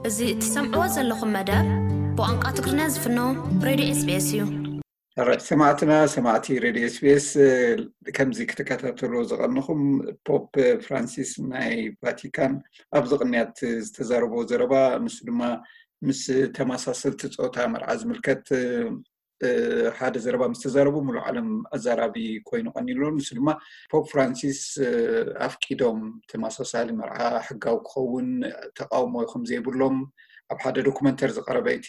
እዚ እትሰምዕዎ ዘለኹም መደብ ብቋንቋ ትግርኛ ዝፍኖ ሬድዮ ኤስቢኤስ እዩ። ሕራይ ሰማዕትና፣ ሰማዕቲ ሬድዮ ኤስቢኤስ፣ ከምዚ ክትከታተሉ ዝቐንኹም፣ ፖፕ ፍራንሲስ ናይ ቫቲካን ኣብዚ ቅንያት ዝተዛረቦ ዘረባ፣ ንሱ ድማ ምስ ተመሳሰልቲ ጾታ መርዓ ዝምልከት ሓደ ዘረባ ምስ ተዛረቡ፣ ሙሉእ ዓለም ኣዛራቢ ኮይኑ ቀኒሉ። ንሱ ድማ ፖፕ ፍራንሲስ ኣፍቂዶም ተመሳሳሊ መርዓ ሕጋዊ ክኸውን ተቃውሞ ከም ዘይብሎም ኣብ ሓደ ዶኩመንተሪ ዝቐረበ እቲ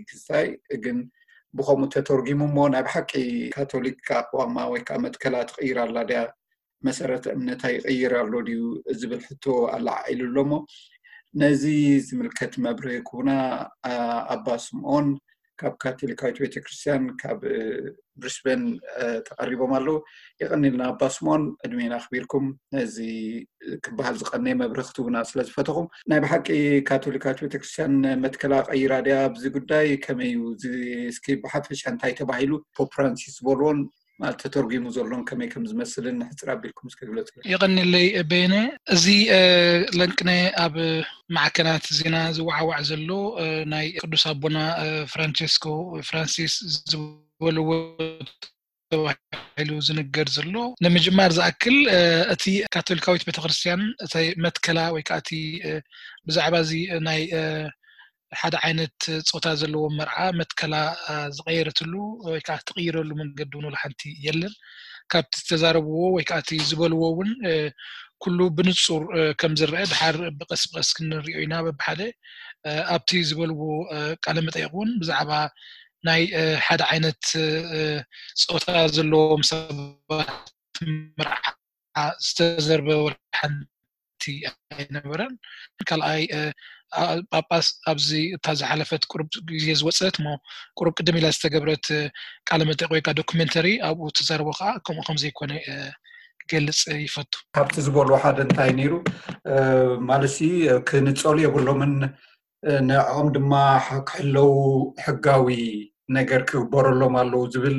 ክስታይ ግን ብኸምኡ ተተርጊሙ እሞ፣ ናይ ብሓቂ ካቶሊክ ኣቋማ ወይ ከዓ መትከላ ትቕይር ኣላ ድያ፣ መሰረተ እምነታ ይቕይር ኣሎ ድዩ ዝብል ሕቶ ኣለዓዒሉ ኣሎ እሞ፣ ነዚ ዝምልከት መብርሂ ክቡና ኣባ ስምኦን ካብ ካቶሊካዊት ቤተክርስትያን ካብ ብሪስበን ተቐሪቦም ኣለዉ። የቐኒልና ኣባ ስምኦን፣ ዕድሜና ኣኽቢርኩም ነዚ ክበሃል ዝቐነየ መብርሂ ክትቡና ስለ ዝፈተኹም። ናይ ብሓቂ ካቶሊካዊት ቤተክርስትያን መትከላ ቀይራ ድያ ኣብዚ ጉዳይ? ከመይ እዩ እዚ? እስኪ ብሓፈሻ እንታይ ተባሂሉ፣ ፖፕ ፍራንሲስ ዝበልዎን ማለት ተተርጒሙ ዘሎን ከመይ ከም ዝመስልን ሕጽር ኣቢልኩም እስከ ግለጹ። የቐንየለይ በየነ። እዚ ለንቅነ ኣብ ማዕከናት ዜና ዝወዓዋዕ ዘሎ ናይ ቅዱስ ኣቦና ፍራንቸስኮ ፍራንሲስ ዝበልዎ ተባሂሉ ዝንገር ዘሎ። ንምጅማር ዝኣክል እቲ ካቶሊካዊት ቤተክርስትያን እቲ መትከላ ወይ ከዓ እቲ ብዛዕባ እዚ ናይ ሓደ ዓይነት ፆታ ዘለዎ መርዓ መትከላ ዝቀየረትሉ ወይ ከዓ ትቅይረሉ መንገዲ እውን ሓንቲ የለን። ካብቲ ዝተዛረብዎ ወይ ከዓ እቲ ዝበልዎ እውን ኩሉ ብንፁር ከም ዝረአ ድሓር ብቀስ ብቀስ ክንሪኦ ኢና። በብሓደ ኣብቲ ዝበልዎ ቃለ መጠይቅ እውን ብዛዕባ ናይ ሓደ ዓይነት ፆታ ዘለዎም ሰባት መርዓ ዝተዘርበ ወላ ሓንቲ ኣይነበረን። ካልኣይ ጳጳስ ኣብዚ እታ ዝሓለፈት ቁሩብ ግዜ ዝወፀት እሞ ቁሩብ ቅድም ኢላ ዝተገብረት ቃለ መጠይቅ ወይ ከዓ ዶኩሜንተሪ ኣብኡ ተዛርቦ ከዓ ከምኡ ከም ዘይኮነ ክገልፅ ይፈቱ። ካብቲ ዝበልዎ ሓደ እንታይ ነይሩ ማለትሲ ክንፀሉ የብሎምን ንዕኦም ድማ ክሕለው ሕጋዊ ነገር ክግበረሎም ኣለዉ ዝብል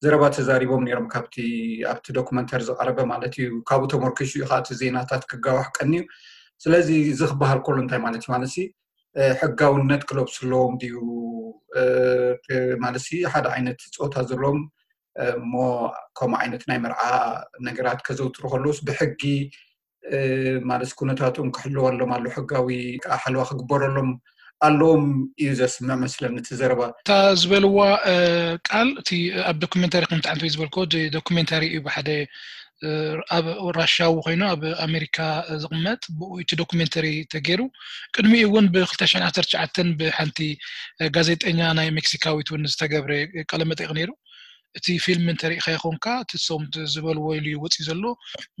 ዘረባ ተዛሪቦም ነይሮም ካብቲ ኣብቲ ዶክመንተሪ ዝቀረበ ማለት እዩ። ካብኡ ተመርኪሱ እዩ ከዓ እቲ ዜናታት ክጋዋሕ ቀንዩ። ስለዚ እዚ ክበሃል ከሎ እንታይ ማለት እዩ ማለት ሕጋውነት ክለብሱ ኣለዎም ድዩ ማለት ሓደ ዓይነት ፆታ ዘለዎም እሞ ከምኡ ዓይነት ናይ መርዓ ነገራት ከዘውትሩ ከለውስ ብሕጊ ማለት ኩነታቶም ክሕልወሎም ኣሎ ሕጋዊ ከዓ ሓለዋ ክግበረሎም ኣለዎም እዩ ዘስምዕ መስለኒ እቲ ዘረባ። እታ ዝበልዋ ቃል እቲ ኣብ ዶኩሜንታሪ ከምቲ ዓንተ ዝበልኮ ዶኩሜንታሪ እዩ ብሓደ ኣብ ራሻዊ ኮይኑ ኣብ ኣሜሪካ ዝቕመጥ ብኡ እቲ ዶኩሜንተሪ ተገይሩ ቅድሚኡ እውን ብ2019 ብሓንቲ ጋዜጠኛ ናይ ሜክሲካዊት እውን ዝተገብረ ቃለመጠይቅ ነይሩ። እቲ ፊልም እንተሪኢኻ ይኾንካ እቲ ሶም ዝበልዎ ኢሉ ይወፅእ ዘሎ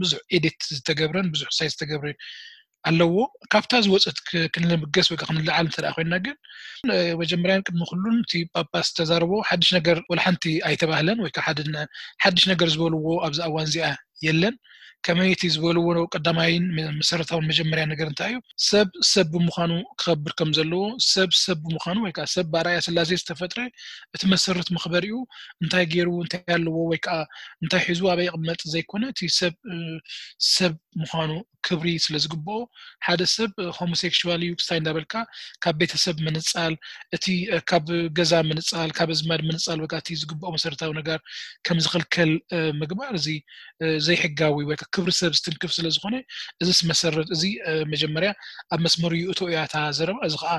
ብዙሕ ኤዲት ዝተገብረን ብዙሕ ሳይ ዝተገብረ ኣለዎ። ካብታ ዝወፀት ክንልምገስ ወይ ክንልዓል እንተ ኮይና ግን መጀመርያን ቅድሚ ኩሉን እቲ ጳጳስ ዝተዛረቦ ሓድሽ ነገር ወላ ሓንቲ ኣይተባህለን ወይ ሓድሽ ነገር ዝበልዎ ኣብዚ እዋን እዚኣ የለን። ከመይ እቲ ዝበልዎ ቀዳማይን መሰረታውን መጀመርያ ነገር እንታይ እዩ? ሰብ ሰብ ብምዃኑ ክኸብር ከም ዘለዎ፣ ሰብ ሰብ ብምዃኑ ወይ ከዓ ሰብ ብኣርኣያ ስላሴ ዝተፈጥረ እቲ መሰረት መኽበሪኡ እንታይ ገይሩ እንታይ ኣለዎ ወይ ከዓ እንታይ ሒዙ ኣበይ ይቕመጥ ዘይኮነ እቲ ሰብ ሰብ ምዃኑ ክብሪ ስለ ዝግብኦ ሓደ ሰብ ሆሞሴክሽዋል እዩ ክስታይ እንዳበልካ ካብ ቤተሰብ ምንፃል እቲ ካብ ገዛ ምንፃል ካብ ኣዝማድ ምንፃል ወይ ከዓ እቲ ዝግብኦ መሰረታዊ ነገር ከም ዝኽልከል ምግባር እዚ ዘይሕጋዊ ወይ ክብሪ ሰብ ዝትንክፍ ስለ ዝኾነ እዚስ መሰረት እዚ መጀመርያ ኣብ መስመሩ ይእቶ እያ እታ ዘረባ። እዚ ከዓ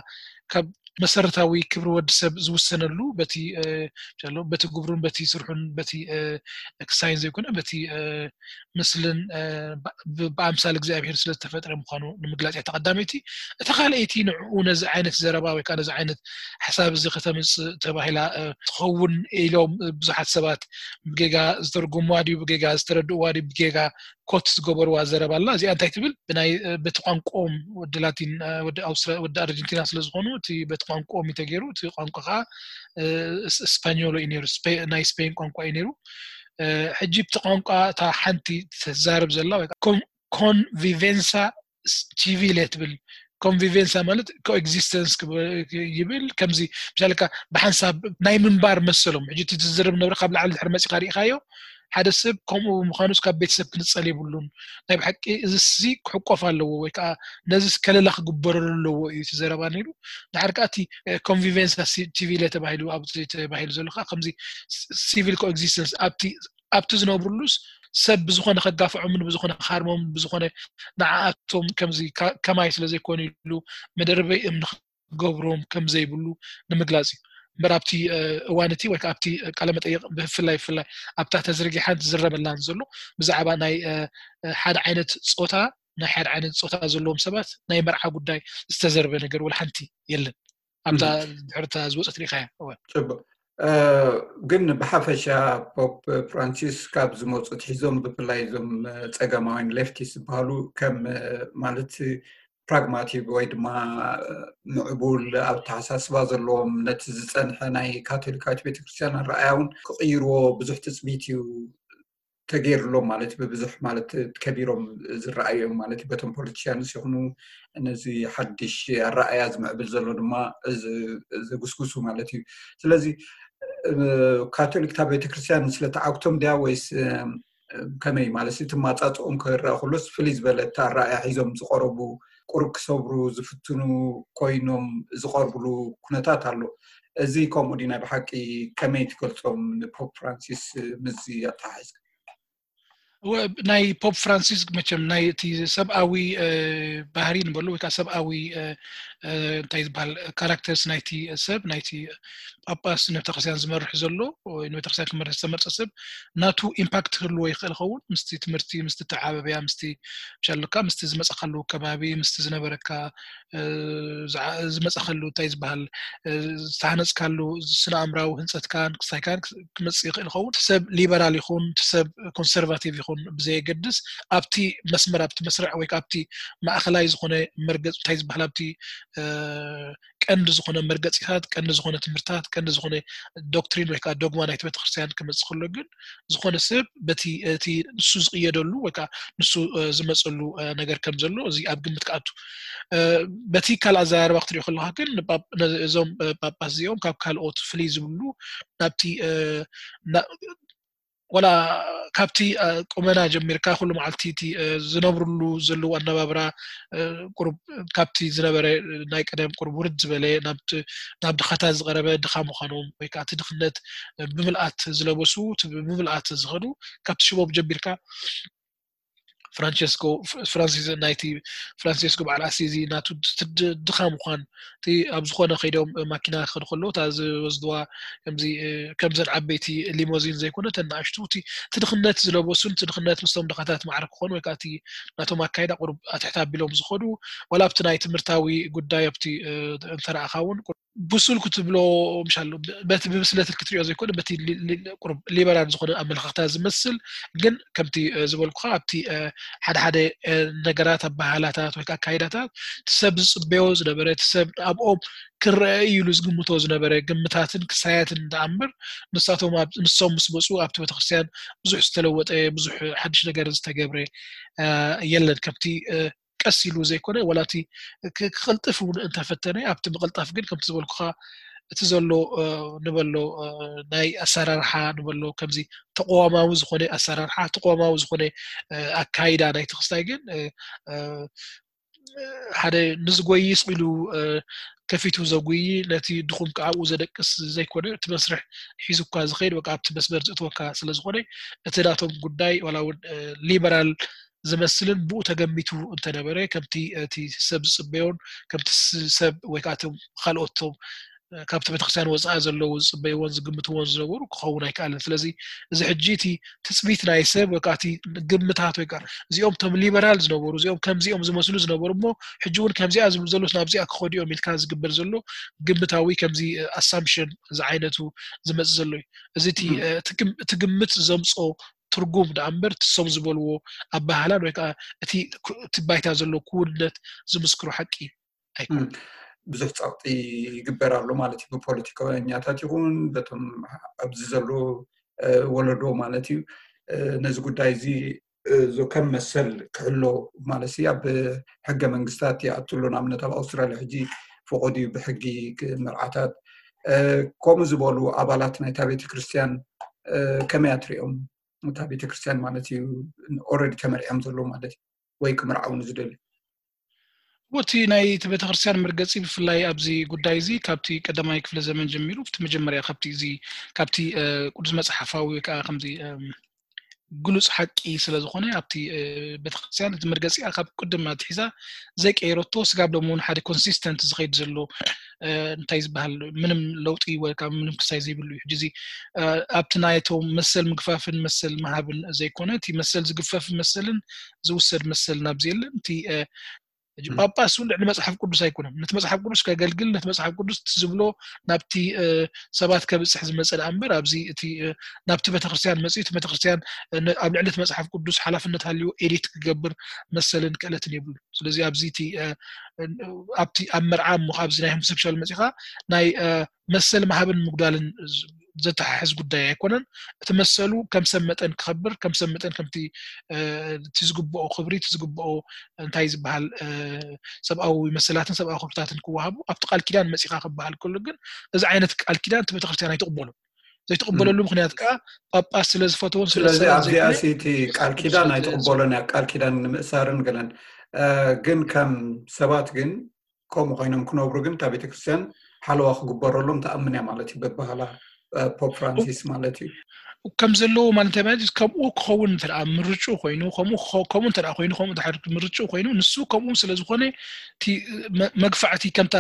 ካብ መሰረታዊ ክብሪ ወዲ ሰብ ዝውሰነሉ በቲ በቲ ግብሩን በቲ ስርሑን በቲ ክሳይን ዘይኮነ በቲ ምስልን ብኣምሳል እግዚኣብሔር ስለ ዝተፈጥረ ምዃኑ ንምግላፅ እያ ተቐዳመይቲ። እታ ካልኣይቲ ንዕኡ ነዚ ዓይነት ዘረባ ወይ ከዓ ነዚ ዓይነት ሓሳብ እዚ ከተምፅእ ተባሂላ ትኸውን ኢሎም ብዙሓት ሰባት ብጌጋ ዝተርጉምዋ ድዩ ብጌጋ ዝተረድእዋ ድዩ ብጌጋ ኮት ዝገበርዋ ዘረባ ኣላ። እዚኣ እንታይ ትብል ብናይ በቲ ቋንቋኦም ወዲ ላቲን ወዲ ኣውስትራ ወዲ ኣርጀንቲና ስለ ዝኾኑ እቲ በቲ ቋንቋኦም እዩ ተገይሩ። እቲ ቋንቋ ከዓ ስፓኞሎ እዩ ነይሩ፣ ናይ ስፔን ቋንቋ እዩ ነይሩ። ሕጂ ብቲ ቋንቋ እታ ሓንቲ ተዛርብ ዘላ ኮንቪቬንሳ ቺቪለ ትብል። ኮንቪቬንሳ ማለት ኮኤግዚስተንስ ይብል። ከምዚ ምሳሌ ብሓንሳብ ናይ ምንባር መሰሎም ሕጂ እቲ ዝዝርብ ነብረ ካብ ላዕሊ ድሕሪ መፂኻ ርኢኻዮ ሓደ ሰብ ከምኡ ብምዃኑስ ካብ ቤተሰብ ክንጸል የብሉን። ናይ ብሓቂ እዚሲ ክሕቆፍ ኣለዎ ወይ ከዓ ነዚስ ከለላ ክግበረሉ ኣለዎ እዩ እቲ ዘረባ ነይሩ። ድሓር ከዓ እቲ ኮንቪቨንስ ሲቪለ ተባሂሉ ኣብዚ ተባሂሉ ዘሎ ከዓ ከምዚ ሲቪል ኮኤግዚስተንስ ኣብቲ ኣብቲ ዝነብሩሉስ ሰብ ብዝኾነ ከጋፍዖምን ብዝኾነ ክሃርሞምን ብዝኾነ ንዓኣቶም ከምዚ ከማይ ስለ ዘይኮኑ ኢሉ መደርበይ እምኒ ክገብሮም ከም ዘይብሉ ንምግላጽ እዩ። እምበር ኣብቲ እዋን እቲ ወይ ኣብቲ ቃለ መጠይቕ ብፍላይ ብፍላይ ኣብታ ተዝርጊሓን ዝዝረበላን ዘሎ ብዛዕባ ናይ ሓደ ዓይነት ጾታ ናይ ሓደ ዓይነት ጾታ ዘለዎም ሰባት ናይ መርዓ ጉዳይ ዝተዘርበ ነገር ወላ ሓንቲ የለን። ኣብታ ድሕርታ ዝወፀት ሪኢኻያ። እወ። ጽቡቅ። ግን ብሓፈሻ ፖፕ ፍራንሲስ ካብ ዝመፁ ትሒዞም ብፍላይ እዞም ፀገማውያን ሌፍቲስ ዝበሃሉ ከም ማለት ፕራግማቲቭ ወይ ድማ ምዕቡል ኣብ ተሓሳስባ ዘለዎም ነቲ ዝፀንሐ ናይ ካቶሊካዊት ቤተክርስትያን ኣረኣያ እውን ክቕይርዎ ብዙሕ ትፅቢት እዩ ተገይርሎም ማለት ብብዙሕ ማለት ከቢሮም ዝረኣዩ እዮም ማለት በቶም ፖለቲሽያንስ ይኹኑ ነዚ ሓድሽ ኣረኣያ ዝምዕብል ዘሎ ድማ ዘጉስጉሱ ማለት እዩ። ስለዚ ካቶሊክታ ቤተክርስትያን ስለተዓግቶም ድያ ወይስ ከመይ ማለት እቲ ማፃፅኦም ክረኣ ኩሎስ ፍልይ ዝበለ እቲ ኣረኣያ ሒዞም ዝቀረቡ ቁሩብ ክሰብሩ ዝፍትኑ ኮይኖም ዝቐርብሉ ኩነታት ኣሎ። እዚ ከምኡ ድዩ ናይ ብሓቂ ከመይ ትገልፆም ንፖፕ ፍራንሲስ ምስዚ ኣተሓሒዝካ? ናይ ፖፕ ፍራንሲስ መቸም ናይ እቲ ሰብኣዊ ባህሪ ንበሉ ወይ ከዓ ሰብኣዊ እንታይ ዝበሃል ካራክተርስ ናይቲ ሰብ ናይቲ ጳጳስ ንቤተክርስትያን ዝመርሕ ዘሎ ንቤተክርስትያን ክመርሕ ዝተመርፀ ሰብ ናቱ ኢምፓክት ክህልዎ ይኽእል ኸውን ምስቲ ትምህርቲ ምስቲ ተዓበብያ ምስቲ ሻሉካ ምስቲ ዝመፀኻሉ ከባቢ ምስቲ ዝነበረካ ዝመፀኸሉ እንታይ ዝበሃል ዝተሃነፅካሉ ስነ ኣእምራዊ ህንፀትካን ክስታይካን ክመፅእ ይኽእል ይኸውን ሰብ ሊበራል ይኹን ሰብ ኮንሰርቫቲቭ ይኹን ብዘየገድስ ኣብቲ መስመር ኣብቲ መስርዕ ወይ ኣብቲ ማእኸላይ ዝኾነ መርገፅ እንታይ ዝበሃል ኣብቲ ቀንዲ ዝኾነ መርገፂታት ቀንዲ ዝኾነ ትምህርታት ቀንዲ ዝኾነ ዶክትሪን ወይ ከዓ ዶግማ ናይቲ ቤተክርስትያን ክመፅእ ከሎ ግን ዝኾነ ሰብ በቲ እቲ ንሱ ዝቕየደሉ ወይ ከዓ ንሱ ዝመፀሉ ነገር ከም ዘሎ እዚ ኣብ ግምት ክኣቱ በቲ ካልእ ኣዘራርባ ክትሪኦ ከለካ ግን እዞም ጳጳስ እዚኦም ካብ ካልኦት ፍልይ ዝብሉ ናብቲ ወላ ካብቲ ቁመና ጀሚርካ ኩሉ መዓልቲ እቲ ዝነብርሉ ዘለዉ ኣነባብራ ቁሩብ ካብቲ ዝነበረ ናይ ቀደም ቁሩብ ውርድ ዝበለ ናብ ድኻታት ዝቐረበ ድኻ ምዃኖም ወይ ከዓ እቲ ድኽነት ብምልኣት ዝለበሱ ብምልኣት ዝኸዱ ካብቲ ሽቦም ጀሚርካ ፍራንቸስኮ ፍራንሲስ ናይቲ ፍራንሲስኮ በዓል ኣሲዚ ናቱ ድኻ ምዃን እቲ ኣብ ዝኾነ ከይዶም ማኪና ክኸዱ ከለዉ እታ ዝወስድዋ ከምዚ ከምዘን ዓበይቲ ሊሞዚን ዘይኮነ እተን ንኣሽቱ እቲ ትድኽነት ዝለበሱን ትድኽነት ምስቶም ድኻታት ማዕረ ክኾኑ ወይ ከዓ እቲ ናቶም ኣካይዳ ቁሩብ ኣትሕት ኣቢሎም ዝኸዱ ዋላ ኣብቲ ናይ ትምህርታዊ ጉዳይ ኣብቲ እንተረኣኻ እውን ብሱል ክትብሎ ምሻሉ በቲ ብብስለት ክትሪኦ ዘይኮነ በቲ ሊበራል ዝኾነ ኣመለኻኽታ ዝመስል ግን ከምቲ ዝበልኩኻ ኣብቲ ሓደ ሓደ ነገራት ኣበሃህላታት ወይ ኣካይዳታት እቲ ሰብ ዝፅበዮ ዝነበረ እቲ ሰብ ኣብኦም ክረአ ኢሉ ዝግምቶ ዝነበረ ግምታትን ክሳያትን ደኣምበር ንሳቶም ንሶም ምስ መፁ ኣብቲ ቤተክርስትያን ብዙሕ ዝተለወጠ ብዙሕ ሓድሽ ነገር ዝተገብረ የለን ከምቲ ቀስ ኢሉ ዘይኮነ ወላ እቲ ክቕልጥፍ እውን እንተፈተነ ኣብቲ ምቕልጣፍ ግን ከምቲ ዝበልኩኻ እቲ ዘሎ ንበሎ ናይ ኣሰራርሓ ንበሎ ከምዚ ተቋማዊ ዝኾነ ኣሰራርሓ ተቋማዊ ዝኾነ ኣካይዳ ናይ ተክስታይ ግን ሓደ ንዝጎይስ ኢሉ ከፊቱ ዘጉይ ነቲ ድኹም ከዓብኡ ዘደቅስ ዘይኮነ እቲ መስርሕ ሒዙካ ዝኸይድ በቃ ኣብቲ መስመር ዝእትወካ ስለዝኾነ እቲ ናቶም ጉዳይ ዋላ እውን ሊበራል ዝመስልን ብኡ ተገሚቱ እንተነበረ ከምቲ እቲ ሰብ ዝፅበዮን ከምቲ ሰብ ወይ ከዓ ካልኦቶም ካብቲ ቤተክርስትያን ወፃኢ ዘለዉ ዝፅበይዎን ዝግምትዎን ዝነበሩ ክኸውን ኣይከኣልን ስለዚ እዚ ሕጂ እቲ ትፅቢት ናይ ሰብ ወይ እቲ ግምታት ወይ እዚኦም ቶም ሊበራል ዝነበሩ እዚኦም ከምዚኦም ዝመስሉ ዝነበሩ እሞ ሕጂ እውን ከምዚኣ ዝብሉ ዘለስ ናብዚኣ ክኸዱ እዮም ኢልካ ዝግበር ዘሎ ግምታዊ ከምዚ ኣሳምሽን ዝዓይነቱ ዝመፅ ዘሎ እዩ እዚ እቲ ግምት ዘምፆ ትርጉም ደኣ እምበር ትሶም ዝበልዎ ኣባህላን ወይ ከዓ እቲ እቲ ባይታ ዘሎ ክውንነት ዝምስክሮ ሓቂ ኣይኮን ብዙሕ ፀቕጢ ይግበር ኣሎ ማለት እዩ ብፖለቲካኛታት ይኹን በቶም ኣብዚ ዘሎ ወለዶ ማለት እዩ ነዚ ጉዳይ እዚ ከም መሰል ክሕሎ ማለት ኣብ ሕገ መንግስታት ይኣትሎ ንኣብነት ኣብ ኣውስትራልያ ሕጂ ፈቆድ እዩ ብሕጊ መርዓታት ከምኡ ዝበሉ ኣባላት ናይታ ቤተክርስትያን ከመይ ኣትሪኦም እታ ቤተክርስትያን ማለት እዩ። ኦረዲ ተመርዕዮም ዘለዉ ማለት እዩ፣ ወይ ክምርዓው ንዝደልዩ። እቲ ናይ እቲ ቤተክርስትያን መርገፂ ብፍላይ ኣብዚ ጉዳይ እዚ ካብቲ ቀዳማይ ክፍለ ዘመን ጀሚሩ፣ እቲ መጀመርያ ካብቲ እዚ ካብቲ ቅዱስ መፅሓፋዊ ወይ ከዓ ከምዚ ግሉፅ ሓቂ ስለ ዝኾነ ኣብቲ ቤተክርስትያን እቲ መርገፂኣ ካብ ቅድም ኣትሒዛ ዘይቀየረቶ ስጋብ ሎም እውን ሓደ ኮንሲስተንት ዝኸይድ ዘሎ እንታይ ዝበሃል ምንም ለውጢ ወይ ከዓ ምንም ክሳይ ዘይብሉ እዩ። ሕጂ እዚ ኣብቲ ናይቶም መሰል ምግፋፍን መሰል ምሃብን ዘይኮነ እቲ መሰል ዝግፈፍ መሰልን ዝውሰድ መሰል ናብዚ የለን። እቲ ጳጳስ እውን ልዕሊ መፅሓፍ ቅዱስ ኣይኮነን። ነቲ መፅሓፍ ቅዱስ ከገልግል ነቲ መፅሓፍ ቅዱስ ዝብሎ ናብቲ ሰባት ከብፅሕ ዝመፀ ደኣ እምበር ኣብዚ እቲ ናብቲ ቤተክርስትያን መፅኡ እቲ ቤተክርስትያን ኣብ ልዕሊ እቲ መፅሓፍ ቅዱስ ሓላፍነት ሃልዩ ኤዲት ክገብር መሰልን ክእለትን የብሉ። ስለዚ ኣብዚ እቲ ኣብቲ ኣብ መርዓ እሞ ኣብዚ ናይ ሆሞሴክሹዋል መፂኻ ናይ መሰል ምሃብን ምጉዳልን ዘተሓሕዝ ጉዳይ ኣይኮነን። እቲ መሰሉ ከም ሰብ መጠን ክኸብር ከም ሰብ መጠን ከምቲ እቲ ዝግብኦ ክብሪ እቲ ዝግብኦ እንታይ ዝበሃል ሰብኣዊ መሰላትን ሰብኣዊ ክብርታትን ክወሃቡ ኣብቲ ቃል ኪዳን መፂኻ ክበሃል ከሎ ግን እዚ ዓይነት ቃል ኪዳን እቲ ቤተክርስትያን ኣይትቕበሉን። ዘይትቕበለሉ ምክንያት ከዓ ጳጳስ ስለ ዝፈተውን ስለዚ ኣብዚኣ እቲ ቃል ኪዳን ኣይትቕበሎን እያ። ቃል ኪዳን ንምእሳርን ገለን ግን ከም ሰባት ግን ከምኡ ኮይኖም ክነብሩ ግን እታ ቤተክርስትያን ሓለዋ ክግበረሎም ትኣምን እያ ማለት እዩ። በባህላ ፖፕ ፍራንሲስ ማለት እዩ። ከም ዘለዎ ማለት እንታይ ማለት ከምኡ ክኸውን እንተ ምርጩ ኮይኑ ከምኡ እንተ ኮይኑ ከምኡ ድሓር ምርጩ ኮይኑ ንሱ ከምኡ ስለ ዝኾነ መግፋዕቲ ከምታ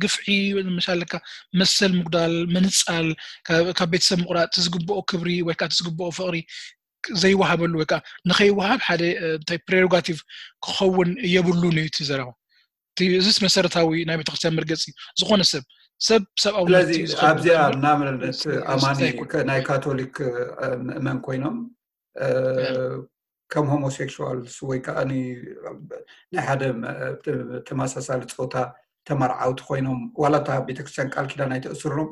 ግፍዒ ምሳለካ መሰል ምጉዳል ምንፃል ካብ ቤተሰብ ምቁራፅ ዝግብኦ ክብሪ ወይ ከዓ ዝግብኦ ፍቕሪ ዘይወሃበሉ ወይ ከዓ ንኸይወሃብ ሓደ እንታይ ፕሬሮጋቲቭ ክኸውን የብሉን እዩ እቲ ዘረባ። እዚስ መሰረታዊ ናይ ቤተክርስትያን መርገፂ እዩ። ዝኾነ ሰብ ሰብ ሰብኣዊ ስለዚ ኣብዚኣ እናመለለት ኣማኒ ናይ ካቶሊክ ምእመን ኮይኖም ከም ሆሞሴክሹዋልስ ወይ ከዓ ናይ ሓደ ተመሳሳሊ ፆታ ተመርዓውቲ ኮይኖም ዋላ እታ ቤተክርስትያን ቃል ኪዳን ኣይተእስሮም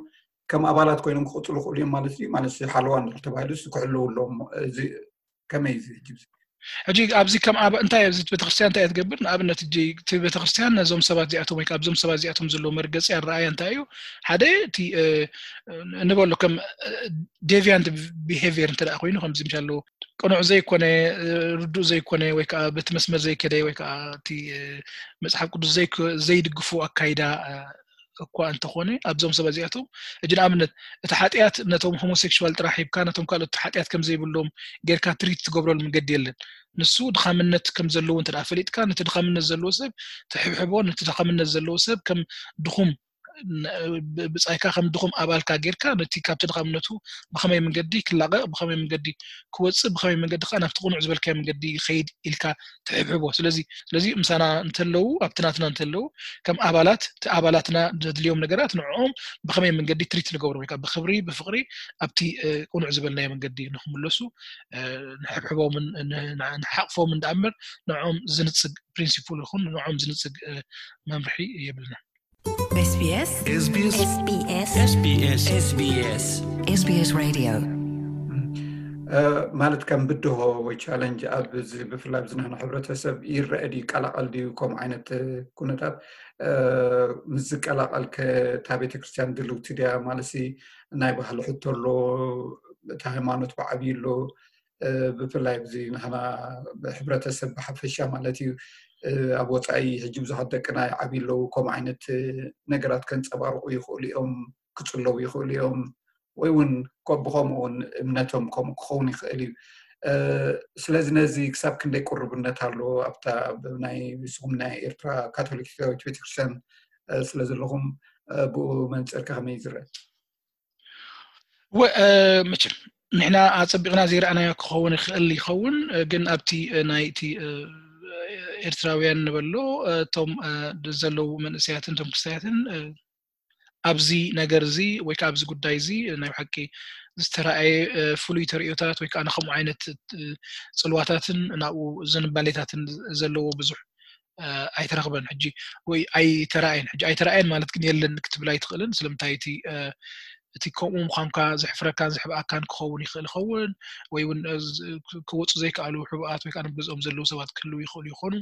ከም ኣባላት ኮይኖም ክቕፅሉ ክእሉ እዮም ማለት እዩ። ማለት ሓለዋ እንድሕር ተባሂሉ ክሕልው ኣለዎም። እዚ ከመይ እዚ ሕጂ ሕጂ ኣብዚ ከም ኣባ እንታይ ኣብዚ ቤተክርስትያን እንታይ እያ ትገብር? ንኣብነት ሕጂ እቲ ቤተክርስትያን ነዞም ሰባት እዚኣቶም ወይ ኣብዞም ሰባት እዚኣቶም ዘለዎ መርገፂ ኣረኣያ እንታይ እዩ? ሓደ እቲ ንበሎ ከም ዴቪያንት ቢሄቪየር እንተ ኮይኑ ከምዚ ምሻ ኣለዎ ቅኑዕ ዘይኮነ ርዱእ ዘይኮነ ወይ ከዓ በቲ መስመር ዘይከደ ወይ ከዓ እቲ መፅሓፍ ቅዱስ ዘይድግፉ ኣካይዳ እኳ እንተኾነ ኣብዞም ሰባት እዚኣቶም ሕጂ ንኣብነት እቲ ሓጢኣት ነቶም ሆሞሴክሹዋል ጥራሕ ሂብካ ነቶም ካልኦት ሓጢኣት ከም ዘይብሎም ጌርካ ትሪት ትገብረሉ መንገዲ የለን። ንሱ ድኻምነት ከም ዘለዎ እንተ ፈሊጥካ ነቲ ድኻምነት ዘለዎ ሰብ ትሕብሕቦ፣ ነቲ ድኻምነት ዘለዎ ሰብ ከም ድኹም ብጻይካ ከም ድኹም ኣባልካ ጌርካ ነቲ ካብቲ ድኻምነቱ ብኸመይ መንገዲ ክላቐቕ ብኸመይ መንገዲ ክወፅእ ብኸመይ መንገዲ ከዓ ናብቲ ቅኑዕ ዝበልካዮ መንገዲ ይኸይድ ኢልካ ትሕብሕቦ። ስለዚ ስለዚ ምሳና እንተለዉ ኣብቲ ናትና እንተለዉ ከም ኣባላት እቲ ኣባላትና ዘድልዮም ነገራት ንዕኦም ብኸመይ መንገዲ ትሪት ንገብሮም ወይ ከዓ ብክብሪ ብፍቕሪ ኣብቲ ቅኑዕ ዝበልናዮ መንገዲ ንክምለሱ ንሕብሕቦምን ንሓቕፎምን ደኣ እምበር ንዕኦም ዝንፅግ ፕሪንሲፕል ይኹን ንዕኦም ዝንፅግ መምርሒ የብልና። SBS SBS SBS SBS SBS Radio ማለት ከም ብድሆ ወይ ቻለንጅ ኣብ ብፍላይ ኣብዚ ንሕና ሕብረተሰብ ይረአ ድዩ ይቀላቐል ድዩ ከምኡ ዓይነት ኩነታት ምስ ዝቀላቐል ከ እታ ቤተክርስትያን ድልውቲ ድያ ማለት ናይ ባህሊ ሕቶ ኣሎ እቲ ሃይማኖት ብዓብዩ ኣሎ ብፍላይ ኣብዚ ንሕና ሕብረተሰብ ብሓፈሻ ማለት እዩ ኣብ ወፃኢ ሕጂ ብዙሓት ደቅና ይዓብዩ ኣለዉ ከምኡ ዓይነት ነገራት ከንፀባርቑ ይኽእሉ እዮም ክፅለዉ ይኽእሉ እዮም ወይ እውን ብከምኡ እውን እምነቶም ከምኡ ክኸውን ይኽእል እዩ ስለዚ ነዚ ክሳብ ክንደይ ቅሩብነት ኣሎ ኣብታ ናይ ንስኹም ናይ ኤርትራ ካቶሊካዊት ቤተክርስትያን ስለ ዘለኹም ብኡ መንፅር ከመይ ዝረአ መቸም ንሕና ኣፀቢቕና ዘይረኣናዮ ክኸውን ይኽእል ይኸውን ግን ኣብቲ ናይ እቲ ኤርትራውያን ንበሎ እቶም ዘለዉ መንእሰያትን እቶም ክስተያትን ኣብዚ ነገር እዚ ወይ ከዓ ኣብዚ ጉዳይ እዚ ናይ ብሓቂ ዝተረኣየ ፍሉይ ተርእዮታት ወይ ከዓ ንከምኡ ዓይነት ፅልዋታትን ናብኡ ዝንባሌታትን ዘለዎ ብዙሕ ኣይተረኽበን ሕጂ ወይ ኣይተረኣየን ሕጂ ኣይተረኣየን ማለት ግን የለን ክትብል ኣይትኽእልን ስለምንታይ እቲ እቲ ከምኡ ምዃንካ ዘሕፍረካን ዘሕብኣካን ክኸውን ይኽእል ይኸውን ወይ እውን ክወፁ ዘይከኣሉ ሕቡኣት ወይ ከዓ ገዝኦም ዘለዉ ሰባት ክህልው ይኽእሉ ይኾኑ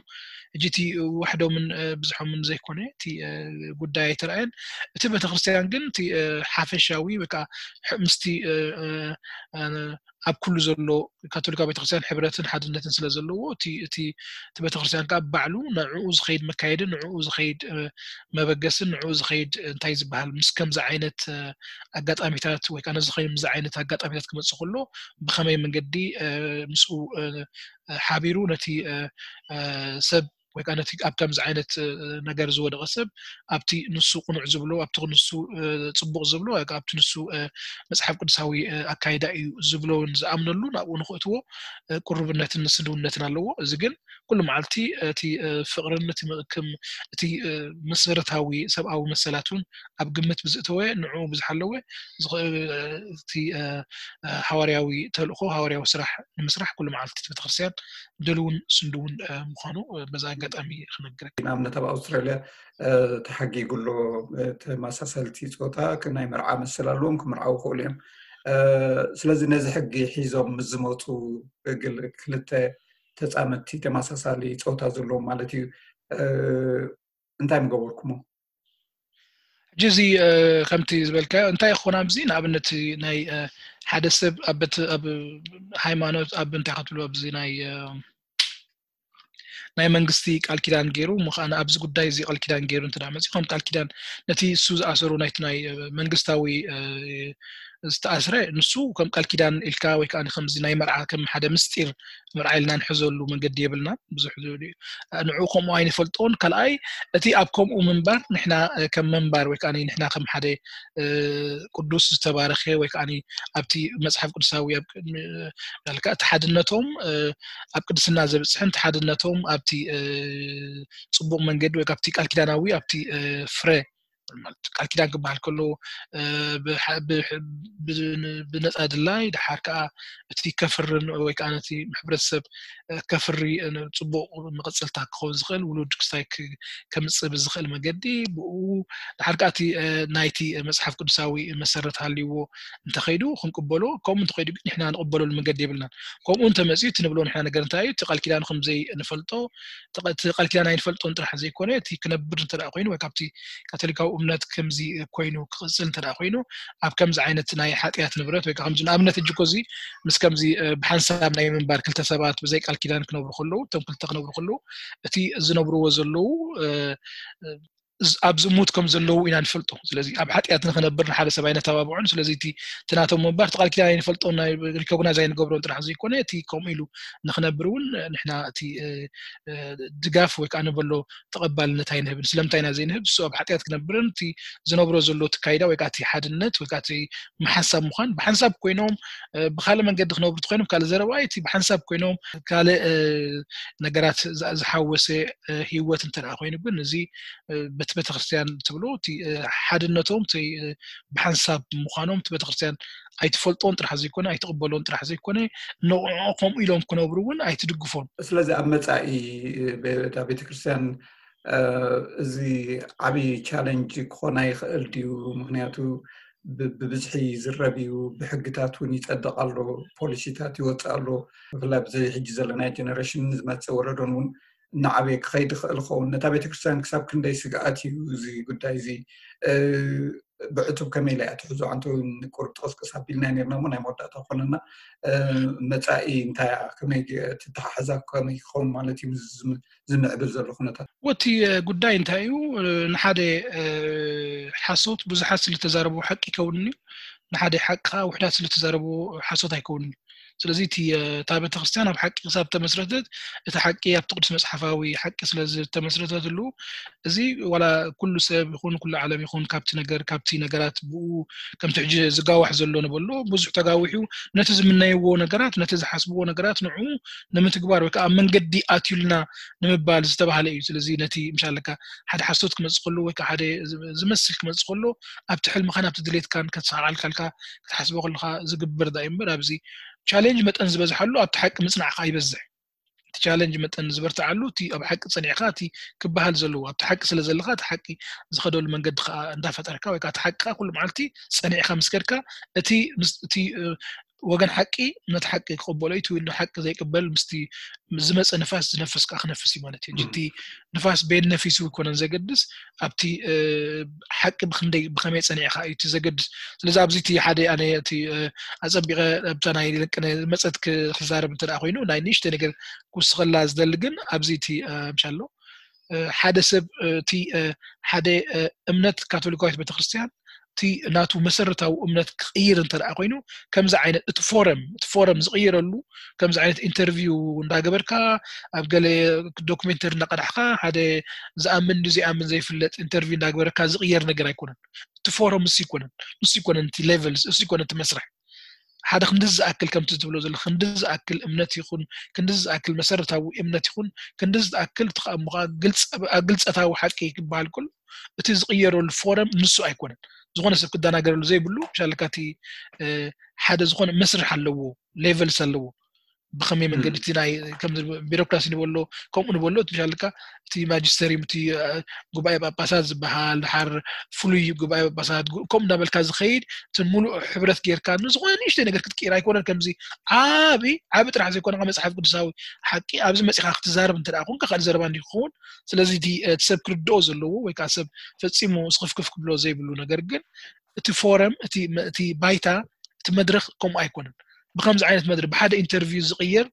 ሕጂ እቲ ዋሕዶምን ብዙሖምን ዘይኮነ እቲ ጉዳይ ኣይተረኣየን እቲ ቤተክርስትያን ግን እቲ ሓፈሻዊ ወይ ከዓ ምስቲ ኣብ ኩሉ ዘሎ ካቶሊካዊ ቤተክርስትያን ሕብረትን ሓድነትን ስለ ዘለዎ፣ እቲ እቲ እቲ ቤተክርስትያን ከዓ ባዕሉ ንዕኡ ዝኸይድ መካየድን ንዕኡ ዝኸይድ መበገስን ንዕኡ ዝኸይድ እንታይ ዝበሃል ምስ ከምዚ ዓይነት ኣጋጣሚታት ወይ ከዓ ነዚ ከምዚ ዓይነት ኣጋጣሚታት ክመፅእ ከሎ ብኸመይ መንገዲ ምስኡ ሓቢሩ ነቲ ሰብ ወይ ከዓ ነቲ ኣብ ከምዚ ዓይነት ነገር ዝወደቐ ሰብ ኣብቲ ንሱ ቅኑዕ ዝብሎ ኣብቲ ንሱ ፅቡቕ ዝብሎ ኣብቲ ንሱ መፅሓፍ ቅዱሳዊ ኣካይዳ እዩ ዝብሎን ዝኣምነሉ ናብኡ ንክእትዎ ቅሩብነትን ስድውነትን ኣለዎ። እዚ ግን ኩሉ መዓልቲ እቲ ፍቕርን እቲ መቕክም እቲ መሰረታዊ ሰብኣዊ መሰላት እውን ኣብ ግምት ብዝእተወ ንዕኡ ብዝሓለወ እቲ ሃዋርያዊ ተልእኮ ሃዋርያዊ ስራሕ ንምስራሕ ኩሉ መዓልቲ ቤተክርስትያን ድልውን ስንድውን ምዃኑ በዛ ኣጋጣሚ ክነግረካ። ንኣብነት ኣብ ኣውስትራልያ ተሓጊጉ ኣሎ። ተመሳሰልቲ ፆታ ናይ መርዓ መሰል ኣለዎም፣ ክምርዓው ይኽእሉ እዮም። ስለዚ ነዚ ሕጊ ሒዞም ምስ ዝመፁ ክልተ ተፃመድቲ ተመሳሳሊ ፆታ ዘለዎም ማለት እዩ እንታይ ምገበርኩሞ? ሕጂ እዚ ከምቲ ዝበልካዮ እንታይ ይኾን ኣብዚ ንኣብነት ናይ ሓደ ሰብ ኣብ ሃይማኖት ኣብ እንታይ ክትብሉ ኣብዚ ናይ ናይ መንግስቲ ቃል ኪዳን ገይሩ ምዃን ኣብዚ ጉዳይ እዚ ቃል ኪዳን ገይሩ እንተ መፂኡ ከም ቃል ኪዳን ነቲ እሱ ዝኣሰሩ ናይቲ ናይ መንግስታዊ ዝተኣስረ ንሱ ከም ቃል ኪዳን ኢልካ ወይ ከዓ ከምዚ ናይ መርዓ ከም ሓደ ምስጢር መርዓ ኢልና ንሕዘሉ መንገዲ የብልና። ብዙሕ ንዕኡ ከምኡ ኣይንፈልጦን። ካልኣይ እቲ ኣብ ከምኡ ምንባር ንሕና ከም መንባር ወይ ከዓ ንሕና ከም ሓደ ቅዱስ ዝተባረኸ ወይ ከዓ ኣብቲ መፅሓፍ ቅዱሳዊ ኣብ ቅድሚ ያልካ እቲ ሓድነቶም ኣብ ቅድስና ዘብፅሕን እቲ ሓድነቶም ኣብቲ ፅቡቕ መንገዲ ወይ ኣብቲ ቃል ኪዳናዊ ኣብቲ ፍረ ቃል ኪዳን ክበሃል ከሎ ብነፃ ድላይ ድሓር ከዓ እቲ ከፍርን ወይ ከዓ ነቲ ሕብረተሰብ ከፍሪ ፅቡቕ መቐፅልታ ክኸውን ዝኽእል ውሉድ ክስታይ ከምፅእ ብዝኽእል መገዲ ብኡ ድሓር ከዓ እቲ ናይቲ መፅሓፍ ቅዱሳዊ መሰረት ሃልይዎ እንተኸይዱ ክንቅበሎ፣ ከምኡ እንተኸይዱ ግን ንሕና ንቕበለሉ መንገዲ የብልናን። ከምኡ እንተመፅኡ እቲ ንብሎ ንሕና ነገር እንታይ እዩ? እቲ ቃል ኪዳኑ ከምዘይ ንፈልጦ እቲ ቃል ኪዳን ኣይንፈልጦን ጥራሕ ዘይኮነ እቲ ክነብር እንተ ኮይኑ ወይ ካብቲ ካቶሊካዊ እምነት ከምዚ ኮይኑ ክቕፅል እንተ ኮይኑ ኣብ ከምዚ ዓይነት ናይ ሓጢኣት ንብረት ወይ ከምዚ ንኣብነት እጅኮ እዚ ምስ ከምዚ ብሓንሳብ ናይ ምንባር ክልተ ሰባት ብዘይ ቃል ኪዳን ክነብሩ ከለዉ እቶም ክልተ ክነብሩ ከለዉ እቲ ዝነብርዎ ዘለዉ ኣብ ዝሙት ከም ዘለዉ ኢና ንፈልጦ። ስለዚ ኣብ ሓጢኣት ንክነብር ንሓደ ሰብ ኣይነተባብዖን። ስለዚ እቲ ናቶም ምንባር እቲ ቃል ኪዳን ኣይንፈልጦን ሪኮግናይዝ ኣይንገብሮን ጥራሕ ዘይኮነ እቲ ከምኡ ኢሉ ንክነብር እውን ንሕና እቲ ድጋፍ ወይ ከዓ ንበሎ ተቐባልነት ኣይንህብን። ስለምንታይ ኢና ዘይንህብ? እሱ ኣብ ሓጢኣት ክነብርን እቲ ዝነብሮ ዘሎ እቲ ካይዳ ወይ ከዓ እቲ ሓድነት ወይ ከዓ እቲ ምሓንሳብ ምዃን ብሓንሳብ ኮይኖም ብካልእ መንገዲ ክነብሩ እንተኮይኖም ካልእ ዘረባ እዩ። እቲ ብሓንሳብ ኮይኖም ካልእ ነገራት ዝሓወሰ ህይወት እንተ ኮይኑ ግን እዚ በቲ ቤተክርስትያን ትብሎ እቲ ሓድነቶም ብሓንሳብ ምዃኖም እቲ ቤተክርስትያን ኣይትፈልጦን ጥራሕ ዘይኮነ ኣይትቕበሎን ጥራሕ ዘይኮነ ንዕኡ ከምኡ ኢሎም ክነብሩ እውን ኣይትድግፎን። ስለዚ ኣብ መፃኢ እታ ቤተክርስትያን እዚ ዓብዪ ቻለንጅ ክኾን ኣይኽእል ድዩ? ምክንያቱ ብብዝሒ ይዝረብ እዩ፣ ብሕግታት እውን ይፀድቕ ኣሎ፣ ፖሊሲታት ይወፅእ ኣሎ። ብፍላይ ብዚ ሕጂ ዘለና ጀነሬሽን ዝመፅእ ወለዶን እውን እናዓበየ ክኸይድ ይኽእል ይኸውን። ነታ ቤተክርስትያን ክሳብ ክንደይ ስግኣት እዩ እዚ ጉዳይ እዚ? ብዕቱብ ከመይ ኢላ እያ ትሕዞ? ኣንተ እውን ቁርብ ጠስቅስ ኣቢልና ነርና እሞ ናይ መወዳእታ ኮነና። መፃኢ እንታይ እያ? ከመይ ትተሓሕዛ? ከመይ ክኸውን ማለት እዩ? ዝምዕብል ዘሎ ኩነታት? ወቲ ጉዳይ እንታይ እዩ? ንሓደ ሓሶት ብዙሓት ስለተዛረቡ ሓቂ ይከውንን እዩ። ንሓደ ሓቂ ከዓ ውሕዳት ስለተዛረቡ ሓሶት ኣይከውንን እዩ። ስለዚ እቲ እታ ቤተክርስትያን ኣብ ሓቂ ክሳብ ተመስረተት እቲ ሓቂ ኣብቲ ቅዱስ መፅሓፋዊ ሓቂ ስለ ዝተመስረተትሉ እዚ ዋላ ኩሉ ሰብ ይኹን ኩሉ ዓለም ይኹን ካብቲ ነገር ካብቲ ነገራት ብኡ ከምቲ ሕጂ ዝጋዋሕ ዘሎ ንበሎ ብዙሕ ተጋዊሑ ነቲ ዝምነይዎ ነገራት ነቲ ዝሓስብዎ ነገራት ንዑ ንምትግባር ወይ ከዓ ኣብ መንገዲ ኣትዩልና ንምባል ዝተባህለ እዩ። ስለዚ ነቲ ምሻለካ ሓደ ሓሶት ክመፅእ ከሎ ወይ ሓደ ዝመስል ክመፅእ ከሎ ኣብቲ ሕልምኻን ኣብቲ ድሌትካን ከተሰዓልካልካ ክትሓስቦ ከለካ ዝግበር ዳ እምበር ኣብዚ ቻሌንጅ መጠን ዝበዝሓሉ ኣብቲ ሓቂ ምፅናዕካ ይበዝሕ። እቲ ቻለንጅ መጠን ዝበርትዓሉ እቲ ኣብ ሓቂ ፀኒዕካ እቲ ክበሃል ዘለዎ ኣብቲ ሓቂ ስለ ዘለካ እቲ ሓቂ ዝኸደሉ መንገዲ ከዓ እንዳፈጠርካ ወይ ከዓ እቲ ሓቂ ከዓ ኩሉ መዓልቲ ፀኒዕካ ምስ ከድካ እቲ እቲ ወገን ሓቂ ነቲ ሓቂ ክቕበሎ እዩ፣ እቲ ሓቂ ዘይቅበል ምስቲ ዝመፀ ንፋስ ዝነፍስ ከዓ ክነፍስ እዩ ማለት እዩ። እቲ ንፋስ ቤን ነፊሱ ይኮነን ዘገድስ፣ ኣብቲ ሓቂ ብክንደይ ብከመይ ፀኒዕካ እዩ እቲ ዘገድስ። ስለዚ ኣብዚ እቲ ሓደ ኣነ እቲ ኣፀቢቐ ኣብታ ናይ ደቂ መፀት ክዛረብ እንተ ኮይኑ ናይ ንእሽተ ነገር ክውስኸላ ዝደሊ ግን ኣብዚ እቲ ምሻሎ ሓደ ሰብ እቲ ሓደ እምነት ካቶሊካዊት ቤተክርስትያን እቲ ናቱ መሰረታዊ እምነት ክቕይር እንተ ደኣ ኮይኑ ከምዚ ዓይነት እቲ ፎረም እቲ ፎረም ዝቕየረሉ ከምዚ ዓይነት ኢንተርቪው እንዳገበርካ ኣብ ገለ ዶክሜንተሪ እንዳቀዳሕካ ሓደ ዝኣምን ድዩ ዘይኣምን ዘይፍለጥ ኢንተርቪው እንዳገበርካ ዝቕየር ነገር ኣይኮነን። እቲ ፎረም እሱ ይኮነን እሱ ይኮነን እቲ ሌቨል እሱ ይኮነን እቲ መስርሕ ሓደ ክንዲ ዝኣክል ከምቲ ትብሎ ዘሎ ክንዲ ዝኣክል እምነት ይኹን ክንዲ ዝኣክል መሰረታዊ እምነት ይኹን ክንዲ ዝኣክል እቲ ከኣ ግልፀታዊ ሓቂ ክበሃል ከሎ እቲ ዝቕየረሉ ፎረም ንሱ ኣይኮነን። ዝኾነ ሰብ ክደናገረሉ ዘይብሉ ሻለካ እቲ ሓደ ዝኾነ መስርሕ ኣለዎ፣ ሌቨልስ ኣለዎ። ብኸመይ መንገዲ እቲ ናይ ከም ቢሮክራሲ ንበሎ ከምኡ ንበሎ እቲ ሻለካ እቲ ማጅስተሪም እቲ ጉባኤ ጳጳሳት ዝበሃል ድሓር ፍሉይ ጉባኤ ጳጳሳት ከምኡ እንዳበልካ ዝኸይድ እቲ ሙሉእ ሕብረት ጌርካ ንዝኾነ ንእሽተይ ነገር ክትቅይር ኣይኮነን። ከምዚ ዓቢ ዓቢ ጥራሕ ዘይኮነ መጽሓፍ ቅዱሳዊ ሓቂ ኣብዚ መጺኻ ክትዛረብ እንተ ደኣ ኮንካ ካልእ ዘረባ እንዲ ክኸውን። ስለዚ እቲ ሰብ ክርድኦ ዘለዎ ወይ ከዓ ሰብ ፈጺሙ ስኽፍክፍ ክብሎ ዘይብሉ ነገር ግን እቲ ፎረም እቲ ባይታ እቲ መድረኽ ከምኡ ኣይኮነን። ብከምዚ ዓይነት መድረኽ ብሓደ ኢንተርቪው ዝቕየር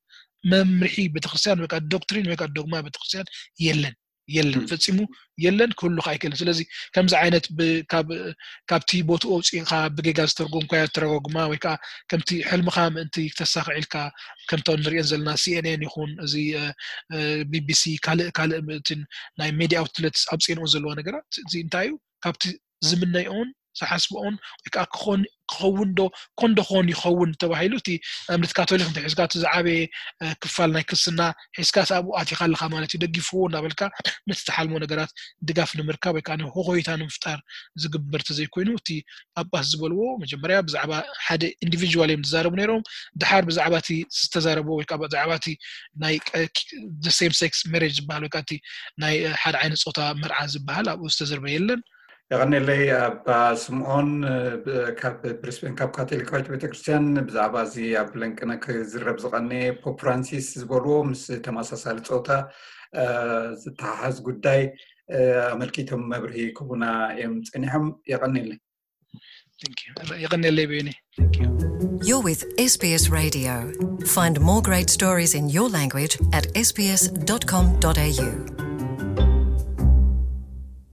መምርሒ ቤተክርስትያን ወይ ከዓ ዶክትሪን ወይ ከዓ ዶግማ ቤተክርስትያን የለን የለን ፈጺሙ የለን ክህሉ ከዓ ኣይክእልን። ስለዚ ከምዚ ዓይነት ካብቲ ቦትኡ ኣውፅእካ ብጌጋ ዝተርጎምካዮ ተረጓጉማ ወይ ከዓ ከምቲ ሕልምኻ ምእንቲ ክተሳኽዕ ኢልካ ከምቶም ንሪኦን ዘለና ሲኤንኤን ይኹን እዚ ቢቢሲ ካልእ ካልእ ምእትን ናይ ሜዲያ ኣውትለትስ ኣውፅኤንኦ ዘለዋ ነገራት እዚ እንታይ እዩ ካብቲ ዝምነይኦን ዝሓስብኦን ወይ ከዓ ክኸውን ክኸውን ዶ ኮን ዶ ክኾን ይኸውን ተባሂሉ እቲ እምነት ካቶሊክ እንተ ሒዝካ እቲ ዝዓበየ ክፋል ናይ ክርስትና ሒዝካ ኣብኡ ኣቲኻ ኣለኻ ማለት እዩ። ደግፍዎ እናበልካ ነቲ ትሓልሞ ነገራት ድጋፍ ንምርካብ ወይ ከዓ ሆኾይታ ንምፍጣር ዝግበር ተዘይኮይኑ እቲ ጳጳስ ዝበልዎ መጀመርያ ብዛዕባ ሓደ ኢንዲቪጁዋል እዮም ዝዛረቡ ነይሮም። ድሓር ብዛዕባ እቲ ዝተዛረብዎ ወይ ከዓ ብዛዕባ እቲ ናይ ሴም ሴክስ ሜሬጅ ዝበሃል ወይ ከዓ እቲ ናይ ሓደ ዓይነት ፆታ መርዓ ዝበሃል ኣብኡ ዝተዘርበ የለን። የቐኔለይ ኣባ ስምዖን ካብ ብሪስቤን ካብ ካቶሊካዊት ቤተክርስትያን ብዛዕባ እዚ ኣብ ለንቅነ ክዝረብ ዝቐነየ ፖፕ ፍራንሲስ ዝበልዎ ምስ ተመሳሳሊ ፆታ ዝተሓሓዝ ጉዳይ ኣመልኪቶም መብርሂ ክቡና እዮም ፀኒሖም። የቐኔለይ። የቐኔለይ ቤኒ። You're with S B S Radio. Find more great stories in your language at S B S dot com dot A U.